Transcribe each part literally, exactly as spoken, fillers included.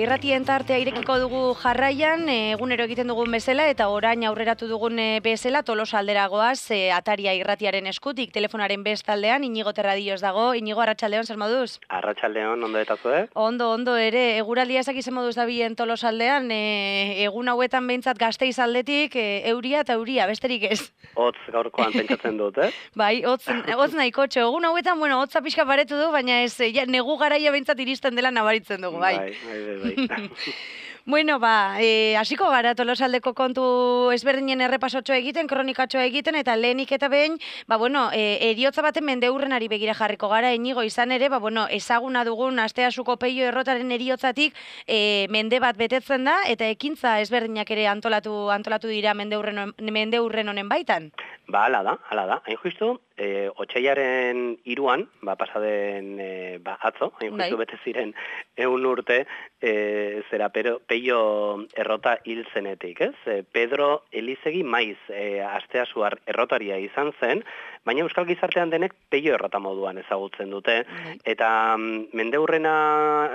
irratien tartea irekiko dugu jarraian, egunero egiten dugun bezala, eta orain aurreratu dugun bezala, Tolosa aldera goaz, e, Ataria irratiaren eskutik, telefonaren bestaldean, Inigo Terradillos dago. Inigo, arratsaldeon, zer moduz? Arratsaldeon, ondo eta zue? Ondo, ondo ere, eguraldia ezak izan moduz dabilen Tolosa aldean, e, egun hauetan behintzat Gasteiz aldetik, e, euria eta euria, besterik ez. Hotz gaurkoan pentsatzen dut, eh? Bai, hotz, hotz nahiko txo. Egun hauetan, bueno, hotza pixka paretu du, baina ez, ja, negu garaia behintzat iristen dela nabaritzen dugu, bai. Bai, bai, bai. Bueno, ba, e, hasiko gara Tolosaldeko kontu ezberdinen errepasotxo egiten, kronikatxo egiten, eta lehenik eta behin, ba, bueno, e, eriotza baten mendeurrenari begira jarriko gara, Inigo, izan ere, ba, bueno, ezaguna dugun Asteasuko Peio Errotaren eriotzatik e, mende bat betetzen da, eta ekintza ezberdinak ere antolatu antolatu dira mendeurren, mendeurren honen baitan. Ba, ala da, ala da. Hain justu, e, otsailaren hiruan, ba, pasaden e, ba, atzo, hain justu bete ziren eun urte, e, zera pero, Peio Errota hil zenetik, ez? E, Pedro Elizegi Maiz e, Asteasuar errotaria izan zen, baina euskal gizartean denek Peio Errota moduan ezagutzen dute, eta mm, mendeurrena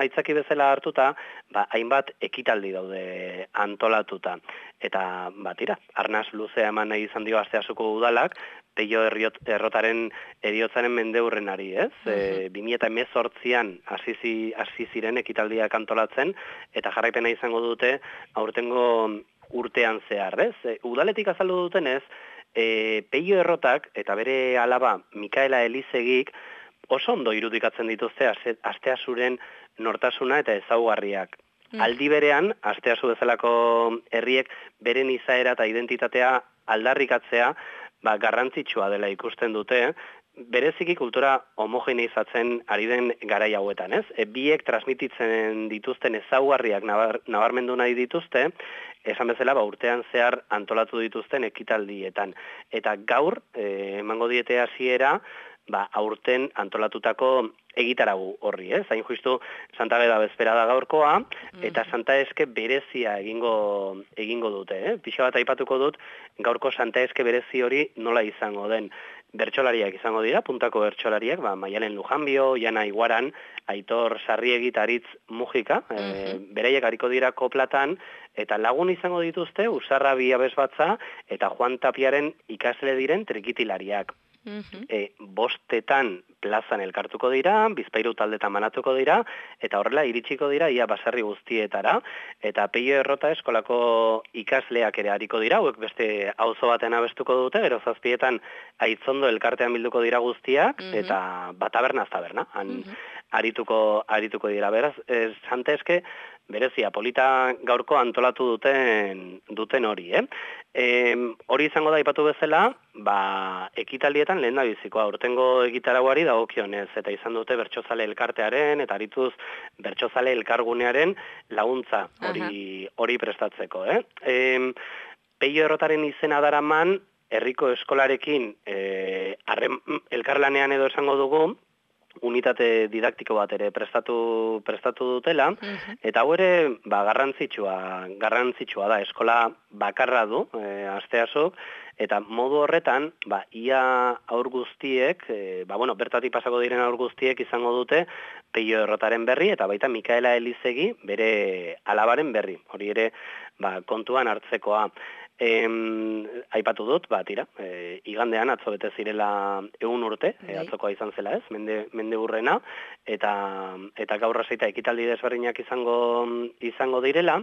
aitzaki bezala hartuta, ba, hainbat ekitaldi daude antolatuta. Eta, ba, tira, arnaz luzea eman nahi izan dio Asteasuko udalak, Peio Errotaren eriotzaren mendeurrenari, ez? Uh -huh. e, bi mila hemezortzian hasi ziren ekitaldiak antolatzen, eta jarraipena izango dute aurtengo urtean zehar, ez? E, udaletik azaldu dutenez, e, Peio Errotak eta bere alaba Mikaela Elizegik oso ondo irudikatzen dituzte Asteasuren nortasuna eta ezaugarriak. Aldi berean, Asteasu bezalako herriek beren izaera eta identitatea aldarrikatzea ba, garrantzitsua dela ikusten dute, bereziki kultura homogeneizatzen ari den garai hauetan, ez? E, biek transmititzen dituzten ezaugarriak nabar, nabarmendu nahi dituzte, esan bezala ba, urtean zehar antolatu dituzten ekitaldietan. Eta gaur, e, emango diete hasiera, ba, aurten antolatutako egitaragu horri, ez? Hain justu Santa Beda bezpera da gaurkoa, eta Santa Eske berezia egingo egingo dute, eh? Pixa bat aipatuko dut, gaurko Santa Eske berezi hori nola izango den. Bertsolariak izango dira, puntako bertsolariak, ba, Maialen Lujanbio, Jana Iguaran, Aitor Sarriegi eta Aritz Mujika, uh -huh. e, bereiek hariko dira koplatan, eta lagun izango dituzte, Usarra Biabesbatza eta Juan Tapiaren ikasle diren trikitilariak. Uh-huh. E, bostetan plazan elkartuko dira, Bizpahiru taldetan banatuko dira, eta horrela iritsiko dira ia baserri guztietara, eta Peio Errota eskolako ikasleak ere hariko dira, hauek beste auzo baten abestuko dute, gero zazpietan Aitzondo elkartean bilduko dira guztiak, uh-huh. eta batabernaz taberna, han uh-huh. arituko, arituko dira, beraz, ez, Santa Eske, berezia, polita gaurko antolatu duten duten hori, eh? E, hori izango da aipatu bezala, ba, ekitaldietan lehen da bizikoa, urtengo egitarauari dagokionez, eta izan dute Bertsozale elkartearen, eta arituz Bertsozale elkargunearen laguntza hori hori prestatzeko, eh? E, Peio Errotaren izena daraman, herriko eskolarekin e, arren, elkarlanean edo esango dugu, unitate didaktiko bat ere prestatu prestatu dutela, uh-huh. eta hau ere ba, garrantzitsua, garrantzitsua da, eskola bakarra du, e, Asteasuk, eta modu horretan, ba, ia aur guztiek, e, ba, bueno, bertatik pasako diren aur guztiek izango dute Peio Errotaren berri, eta baita Mikaela Elizegi bere alabaren berri, hori ere ba, kontuan hartzekoa. Em, aipatu dut, ba, tira, e, igandean atzo bete zirela egun urte, e, atzokoa izan zela ez, mende, mende urrena, eta, eta gaur raseita ekitaldi desberdinak izango, izango direla,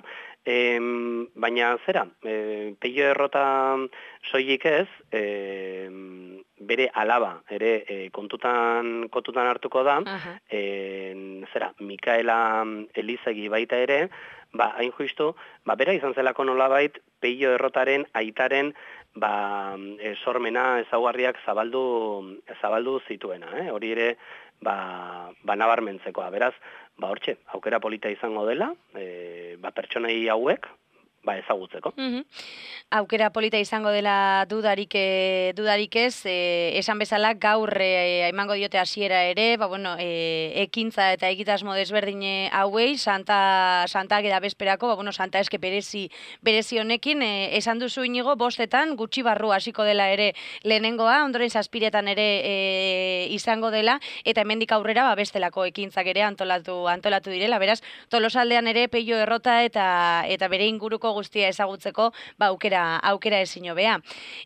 em, baina zera, e, Peio Errota soilik ez, e, bere alaba, ere e, kontutan, kontutan hartuko da, uh-huh. e, zera, Mikaela Elizegi baita ere, ba, hain justu, ba, bera izan zelako nolabait Peio Errotaren aitaren ba, e, sormena ezaugarriak zabaldu, zabaldu zituena, eh? Hori ere ba, ba nabarmentzekoa. Beraz, ba, hortxe, aukera polita izango dela, e, ba, pertsonei hauek, ba, ezagutzeko. Mm-hmm. Aukera polita izango dela dudarik, e, dudarik ez, e, esan bezala gaur e, emango diote hasiera ere, ba, bueno, e, ekintza eta egitasmo desberdine hauei, Santa, Santa eda bezperako, ba, bueno, Santa eske berezi, berezi honekin, e, esan duzu Inigo, bostetan, gutxi barru hasiko dela ere lehenengoa, ondoren zazpiretan ere e, izango dela, eta hemendik aurrera, ba, bestelako ekintzak ere antolatu, antolatu direla, beraz, Tolosaldean ere peio errota eta, eta bere inguruko guztia ezagutzeko, ba, aukera, aukera ezin hobea.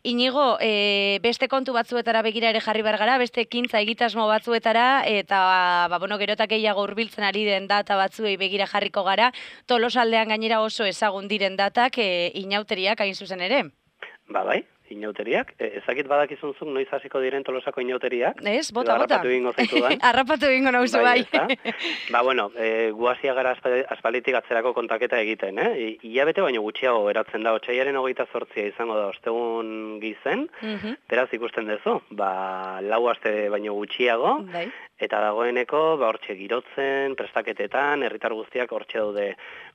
Inigo, e, beste kontu batzuetara begira ere jarri behar gara, beste ekintza egitasmo batzuetara, eta ba, bueno, gerotak gehiago hurbiltzen ari den data batzuei begira jarriko gara, Tolosaldean gainera oso ezagun diren datak e, inauteriak hain zuzen ere. Ba, bai. Inauteriak. E, ezakit badakizunzuk noiz hasiko diren Tolosako inauteriak. Ez, bota, bota. Arrapatu egingo zaitudan. Arrapatu egingo nauzu bai. bai. Ba, bueno, e, guazia gara aspalitik atzerako kontaketa egiten, eh? Ilabete baino gutxiago eratzen da, otsailaren hogeita zortzia izango da ostegun gizen, uh-huh. Beraz ikusten duzu, ba, lau aste baino gutxiago, bai. Eta dagoeneko, ba, hortxe girotzen, prestaketetan, herritar guztiak hortxe daude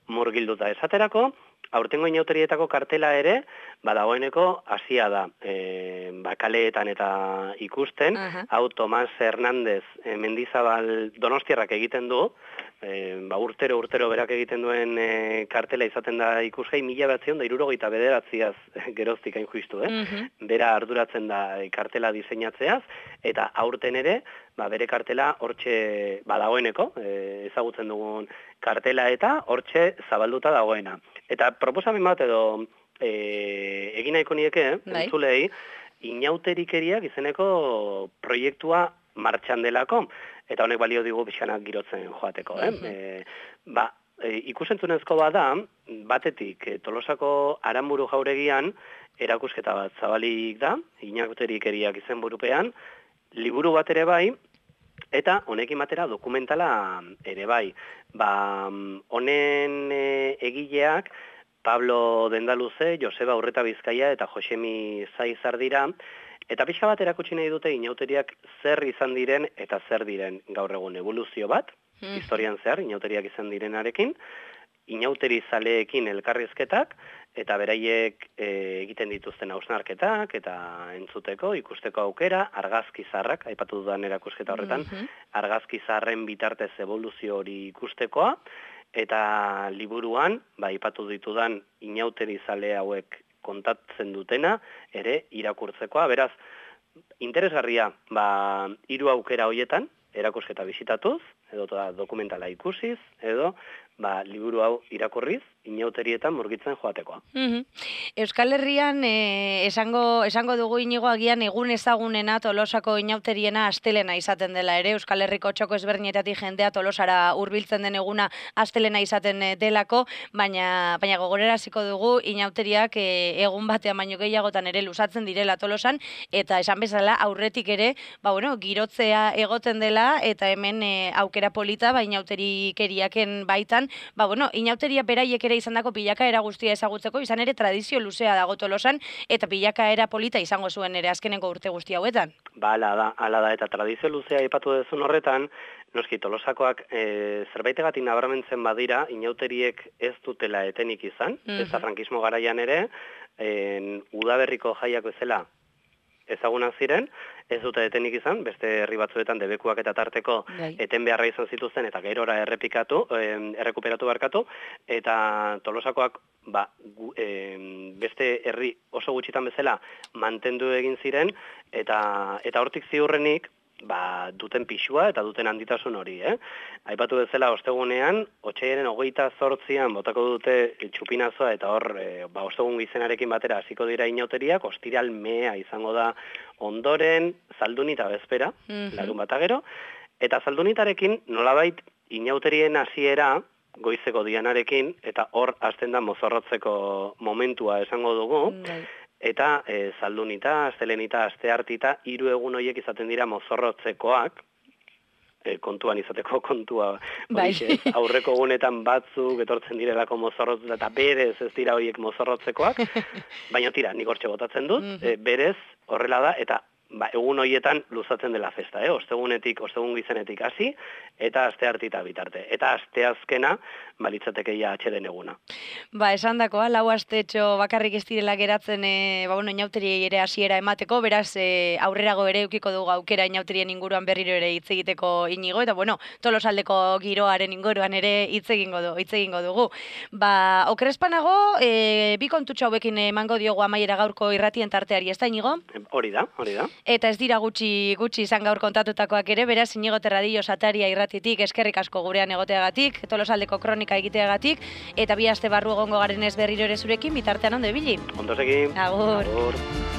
murgilduta esaterako, aurtengo inauterietako kartela ere, ba, dagoeneko hasia da, e, ba, kaleetan eta ikusten, uh-huh. Hau Tomas Hernández e, Mendizabal Donostiarrak egiten du, e, ba, urtero urtero berak egiten duen e, kartela izaten da ikusgai, mila batzion da irurogeita bederatziaz geroztik hain juistu, eh? Uh-huh. Bera arduratzen da e, kartela diseinatzeaz, eta aurten ere, ba, bere kartela hortxe ba, dagoeneko, e, ezagutzen dugun kartela eta hortxe zabalduta dagoena. Eta proposamen bat edo e, egin nahiko nieke, entzulei, inauterikeriak izeneko proiektua martxan delako, eta honek balio digu pixkanak girotzen joateko. Eh? Uh-huh. e, ba, e, ikusentzunezko bada, batetik e, Tolosako Aranburu jauregian erakusketa bat zabalik da, inauterikeriak izen burupean, liburu bat ere bai, eta honekin batera dokumentala ere bai. Ba, honen e, egileak Pablo Dendaluze, Joseba Urreta Bizkaia eta Josemi Zaizar dira, eta pixka bat erakutsi nahi dute inauteriak zer izan diren eta zer diren gaur egun evoluzio bat, mm. historian zehar inauteriak izan direnarekin, inauteri zaleekin elkarrizketak, eta beraiek e, egiten dituzten hausnarketak, eta entzuteko, ikusteko aukera, argazkizarrak, aipatu dudan erakusketa horretan, mm-hmm. argazkizarren bitartez evoluzio hori ikustekoa, eta liburuan, ba, aipatu ditudan inauteri zale hauek kontatzen dutena, ere irakurtzekoa, beraz, interesgarria, ba, hiru aukera hoietan, erakusketa bisitatuz, edo dokumentala ikusiz, edo ba, liburu hau irakurriz, inauterietan murgitzen joatekoa. Mm-hmm. Euskal Herrian eh, esango, esango dugu Inigo agian egun ezagunena Tolosako inauteriena astelena izaten dela ere, Euskal Herriko txoko ezberdinetatik jendea Tolosara hurbiltzen den eguna astelena izaten delako, baina, baina gogoreraziko dugu inauteriak eh, egun batean baino gehiagotan ere luzatzen direla Tolosan, eta esan bezala aurretik ere, ba, bueno, girotzea egoten dela, eta hemen eh, aukera polita, ba, inauterikeriaken baitan, ba, bueno, inauteria beraiek ere izandako bilakaera guztia ezagutzeko, izan ere tradizio luzea dago Tolosan, eta bilakaera polita izango zuen ere azkeneko urte guzti hauetan. Ba, ala da, ala da, eta tradizio luzea aipatu duzun horretan, noski Tolosakoak e, zerbaitegatik nabarmentzen badira, inauteriek ez dutela etenik izan, mm-hmm. ez da frankismo garaian ere, en, udaberriko jaiak bezala ezagunak ziren, ez dute etenik izan, beste herri batzuetan debekuak eta tarteko Gai. eten beharra izan zituzten, eta gerora errepikatu, eh, errekuperatu barkatu, eta Tolosakoak ba, gu, eh, beste herri oso gutxitan bezala mantendu egin ziren, eta, eta hortik ziurrenik, ba, duten pixua eta duten handitasun hori, eh? Aipatu bezala ostegunean, otsailaren hogeita zortzian botako dute txupinazoa eta hor, e, ba, ostegun gizenarekin batera hasiko dira inauteriak, ostiral mea izango da ondoren, zaldunita bezpera, mm-hmm. larun bata gero, eta zaldunitarekin nolabait inauterien hasiera goizeko dianarekin, eta hor hasten da mozorrotzeko momentua esango dugu, mm-hmm. Eta e, zaldunita, astelenita, asteartita, hiru egun horiek izaten dira mozorrotzekoak, e, kontuan izateko kontua, bai. Horixe, aurreko egunetan batzuk etortzen direlako mozorrotzekoak, eta berez ez dira horiek mozorrotzekoak, baina tira, nik hortxe botatzen dut, mm-hmm. e, berez horrela da, eta ba, egun horietan luzatzen dela festa, eh? Ostegunetik, ostegun gizenetik hasi, eta aste hartita bitarte. Eta aste azkena, balitzatekeia atxeden eguna. Ba, esan dakoa, lau astetxo bakarrik ez direla geratzen, e, ba, bueno, inauteriei ere hasiera emateko, beraz, e, aurrerago ere eukiko dugu aukera inauterien inguruan berriro ere hitz egiteko inigo, eta bueno, Tolosaldeko giroaren inguruan ere hitz egingo du, hitz egingo dugu. Ba, okrespanago, e, bi kontutxo hauekin emango diogu amaiera gaurko irratien tarteari, ez da, Inigo? Hori da, hori da. Eta ez dira gutxi gutxi izan gaur kontatutakoak ere, beraz Inigo Terradillo Sataria irratitik eskerrik asko gurean egoteagatik, Tolosaldeko kronika egiteagatik, eta bi aste barru egongo garenez berriro ere zurekin, bitartean ondo ibili. Ondo segi. Agur. Agur.